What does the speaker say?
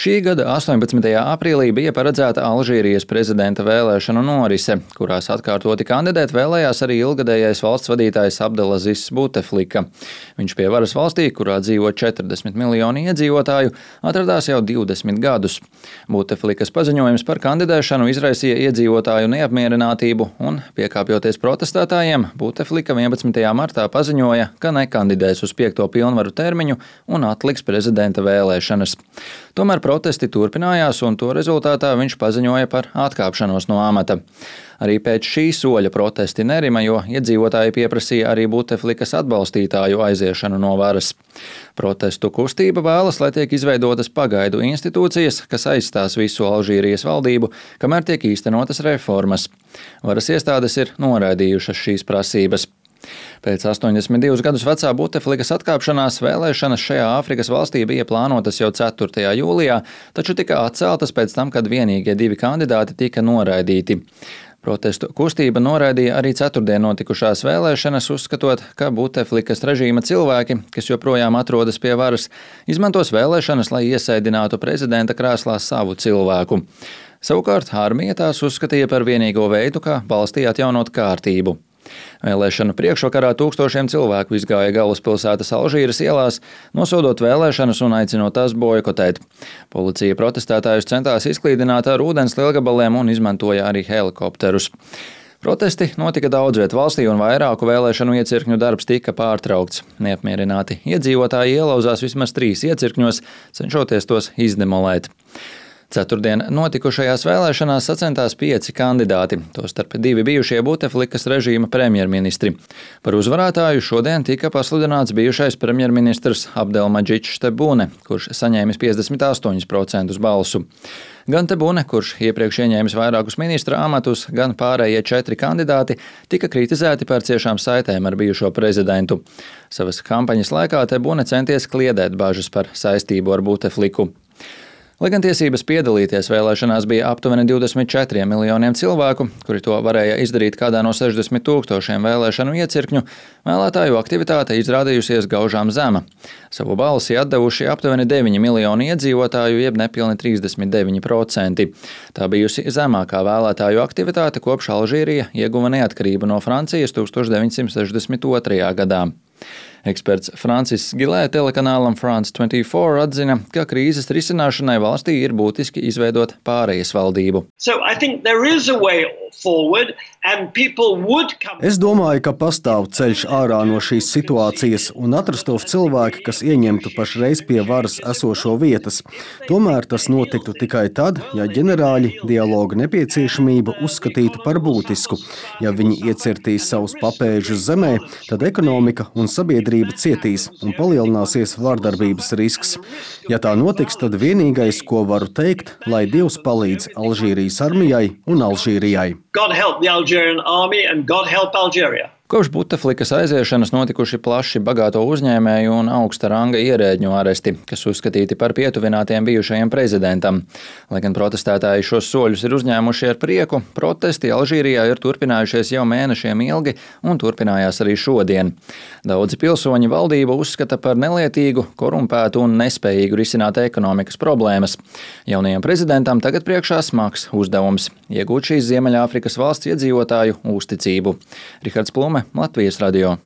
Šī gada 18. aprīlī bija paredzēta Alžīrijas prezidenta vēlēšanu norise, kurās atkārtoti kandidēt vēlējās arī ilgadējais valsts vadītājs Abdelazizs Buteflika. Viņš pie varas valstī, kurā dzīvo 40 miljoni iedzīvotāju, atradās jau 20 gadus. Buteflikas paziņojums par kandidēšanu izraisīja iedzīvotāju neapmierinātību un, piekāpjoties protestētājiem, Buteflika 11. martā paziņoja, ka nekandidēs uz 5. pilnvaru termiņu un atliks prezidenta vēlēšanas. Tomēr protesti turpinājās, un to rezultātā viņš paziņoja par atkāpšanos no amata. Arī pēc šī soļa protesti nerima, jo iedzīvotāji pieprasīja arī Buteflikas atbalstītāju aiziešanu no varas. Protestu kustība vēlas, lai tiek izveidotas pagaidu institūcijas, kas aizstās visu Alžīrijas valdību, kamēr tiek īstenotas reformas. Varas iestādes ir noraidījušas šīs prasības. Pēc 82 gadus vecā Buteflikas atkāpšanās vēlēšanas šajā Āfrikas valstī bija plānotas jau 4. jūlijā, taču tika atceltas pēc tam, kad vienīgie 2 kandidāti tika noraidīti. Protestu kustība noraidīja arī ceturtdien notikušās vēlēšanas, uzskatot, ka Buteflikas režīma cilvēki, kas joprojām atrodas pie varas, izmantos vēlēšanas, lai iesēdinātu prezidenta krēslā savu cilvēku. Savukārt armija tās uzskatīja par vienīgo veidu, kā valstī atjaunot kārtību. Vēlēšanu priekšvakarā tūkstošiem cilvēku izgāja galvaspilsētas Alžīras ielās, nosodot vēlēšanas un aicinot tās boikotēt. Policija protestētājus centās izklīdināt ar ūdens lielgabaliem un izmantoja arī helikopterus. Protesti notika daudz viet valstī un vairāku vēlēšanu iecirkņu darbs tika pārtraukts. Neapmierināti iedzīvotāji ielauzās vismaz 3 iecirkņos, cenšoties tos izdemolēt. Ceturtdien notikušajās vēlēšanās sacentās 5 kandidāti, tostarp 2 bijušie Buteflikas režīma premjerministri. Par uzvarētāju šodien tika pasludināts bijušais premjerministrs Abdelmadžids Tebune, kurš saņēmis 58% balsu. Gan Tebune, kurš iepriekš ieņēmis vairākus ministra amatus, gan pārējie 4 kandidāti tika kritizēti par ciešām saitēm ar bijušo prezidentu. Savas kampaņas laikā Tebune centies kliedēt bažas par saistību ar Butefliku. Lai gan tiesības piedalīties vēlēšanās bija aptuveni 24 miljoniem cilvēku, kuri to varēja izdarīt kādā no 60 000 vēlēšanu iecirkņu, vēlētāju aktivitāte izrādījusies gaužām zema. Savu balsi atdevuši aptuveni 9 miljoni iedzīvotāju, jeb nepilni 39%. Tā bijusi zemākā vēlētāju aktivitāte, kopš Alžīrija ieguva neatkarību no Francijas 1962. gadā. Eksperts Francis Gilē telekanālam France 24 atzina, ka krīzes risināšanai valstī ir būtiski izveidot pārejas valdību. Es domāju, ka pastāv ceļš ārā no šīs situācijas un atrastos cilvēki, kas ieņemtu pašreiz pie varas esošo vietas. Tomēr tas notiktu tikai tad, ja ģenerāļi dialoga nepieciešamību uzskatītu par būtisku. Ja viņi iecirtīs savus papēžus zemē, tad ekonomika un sabiedrība cietīs un palielināsies vārdarbības risks. Ja tā notiks, tad vienīgais, ko varu teikt, lai Dievs palīdz Alžīrijas armijai un Alžīrijai. God help the Algerian army and God help Algeria. Kopš Buteflikas aiziešanas notikuši plaši bagāto uzņēmēju un augsta ranga ierēģņu aresti, kas uzskatīti par pietuvinātiem bijušajam prezidentam. Lai gan protestētāji šos soļus ir uzņēmuši ar prieku, protesti Alžīrijā ir turpinājušies jau mēnešiem ilgi un turpinājās arī šodien. Daudzi pilsoņi valdību uzskata par nelietīgu, korumpētu un nespējīgu risināt ekonomikas problēmas. Jaunajam prezidentam tagad priekšā smags uzdevums – iegūt šīs Ziemeļāfrikas valsts iedzīvotāju uzticību. Rihards Plume, Latvijas radio.